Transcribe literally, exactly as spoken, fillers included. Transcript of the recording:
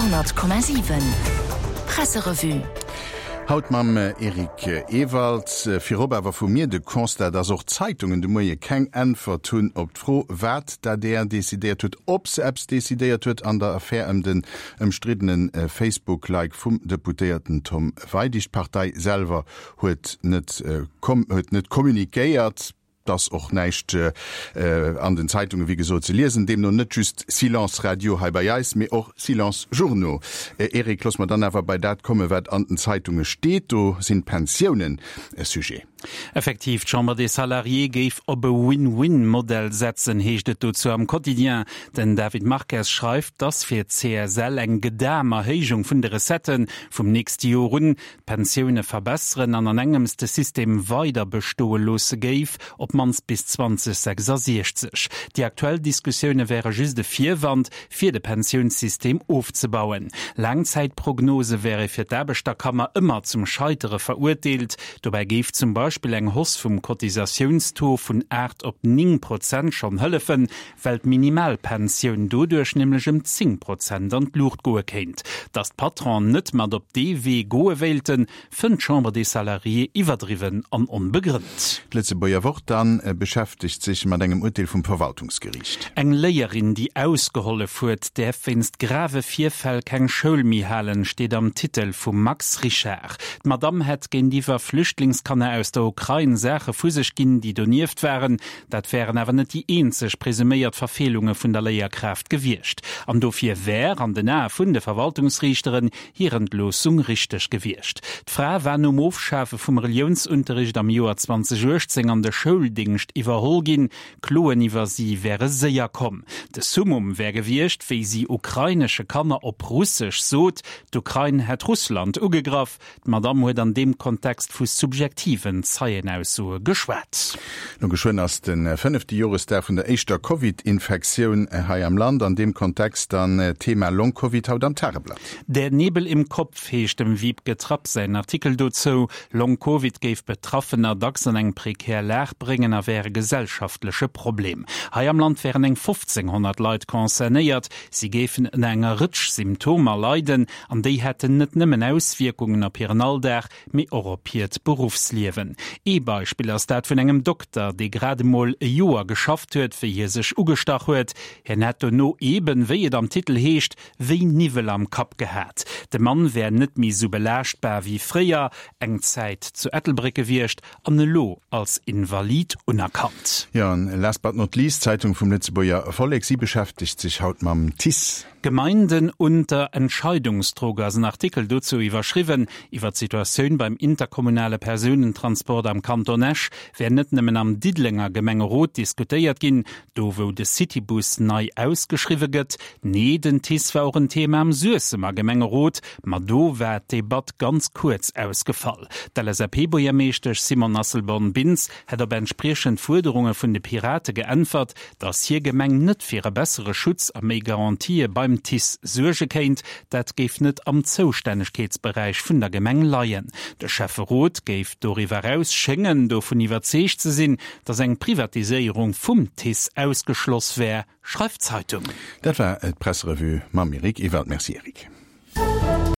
Radio honnert Komma siwen Presserevue. Haut mam Eric Ewald. Virop awer vu mir de Constat, dass och d'Zeitungen de Moie keng Äntwert hunn op d'Fro, wat d'A D R decidéiert huet, ob se eppes decidéiert huet an der Affär ëm den ëmstriddene Facebook-Like vum Deputéierten Tom Weidig. D'Partei selwer huet net huet net kommunikéiert. Et ass och näischt an den Zeitungen, wéi gesot, ze liesen. Deemno net just Silence Radio hei bei eis, mee och Silence Journaux. Eric, looss mer dann awer bei dat kommen, wat an den Zeitunge steet. Do sinn d'Pensiounen e Sujet. Effektiv, d'Chambre des Salariés géif op e Win-Win-Modell setzen, heescht et dozou am Quotidien. Den David Marques schreift, dass fir d'C S L eng gedam Erhéijung vun de Recettë vum nächste Joer un d'Pensioune verbesseren an an engems de System weider bestoe loosse géif, op d'mannst bis zweedausendsechsasechzeg. Déi aktuell Diskussioune wäre just e Virwand, fir de Pensiounssystem ofzebauen. Laangzäitprognose wäre fir d'Aarbechterkammer ëmmer zum Scheitere verurteelt. Dobäi géif zum Beispill eng Hausse vum Cotisatiounstaux vun aacht op néng Prozent schonn hëllefen, well d'Minimalpensioun doduerch nämlech ëm zéng Prozent an d'Luucht goe kéint. Datt d'Patronen net mat op dee Wee goe wéilten, fënnt d'Chambre des Salariés iwwerdriwwen an onbegrënnt. D'Lëtzebuerger Wort dann beschäftegt sech mat engem Urteel vum Verwaltungsgeriicht. Eng Léierin, déi ausgehollef huet, däerf wéinst grave Virfäll keng Schoul méi halen, steet am Titel vum Max Richard. D'Madamm hätt géintiwwer Flüchtlingskanner aus der Ukrain Saache vu sech ginn, déi donieft waren. Dat wären awer net déi eenzeg presuméiert Verfeelunge vun der Léierkraaft gewiescht. An dofir wär, an den Ae vun de Verwaltungsriichteren, hir Entloossung richteg gewiescht. D'Fra war nom Ofschafe vum Reliounsunterricht am Joer zweedausenduechtzéng an de Schouldéngscht iwwerholl ginn. Kloen iwwer si wäre séier komm. De Summum wär gewiescht, wéi si ukrainesche Kanner op Russesch sot, d'Ukrain hätt Russland ugegraff. D'Madamm huet an deem Kontext vu subjektiven Zeienaussoe geschwat. No geschwënn ass de fënnefte Joresdag vun der éischter Covid-Infektioun hei am Land. An deem Kontext dann Thema Long-Covid haut am Tageblatt. Der Nebel im Kopf heescht dem Wiebke Trapp säin Artikel dozou. Long-Covid géif Betraffener dacks an eng prekär Lag bréngen a wär e gesellschaftleche Problem. Hei am Land wären eng fofzénghonnert Leit concernéiert. Si géifen ënner enger Rëtsch Symptomer leiden an déi hätten net nëmmen Auswierkungen op hiren Alldag, mee och op hiert Beruffsliewen. Ee Beispill ass dat vun engem Dokter, dee grad emol e Joer geschafft huet, wéi hie sech ugestach huet. Hien hätt dono eben, wéi et am Titel heescht, wéi Niwwel am Kapp gehat. De Mann wär net méi sou belaaschtbar wéi fréier, eng Zäit zu Ettelbréck gewiescht an elo als Invalid unerkannt. Jo, an last but not least, d'Zeitung vum Lëtzebuerger Vollek, si beschäftegt sech haut mam T I C E. Gemeinden unter Entscheidungsdruck ass en Artikel dozou iwwerschriwwen. Iwwer d'Situatioun beim interkommunale Persounentransport am Kanton Esch wär net nëmmen am Diddelenger Gemengerot diskutéiert ginn, do wou de Citybus nei ausgeschriwwe gëtt. Nee, den T I C E war och en Thema am Suessemer Gemengerot, ma do war d'Debatt ganz kuerz ausgefall. D'L S A P-Buergermeeschtesch Simone Asselborn-Bintz hätt op entspriechend Fuerderunge vun de Pirate geäntwert, datt hir Gemeng net fir e bessere Schutz a méi Garantië beim T I C E suerge kéint, dat géif net am Zoustännegkeetsberäich vun der Gemeng leien. De Schäfferot géif doriwwer eraus schéngen dovun iwwerzeegt ze sinn, datt eng Privatiséierung vum T I C E ausgeschloss wär, schreift d'Zeitung. Dat war d'Presserevue mam Eric Ewald. Merci Eric.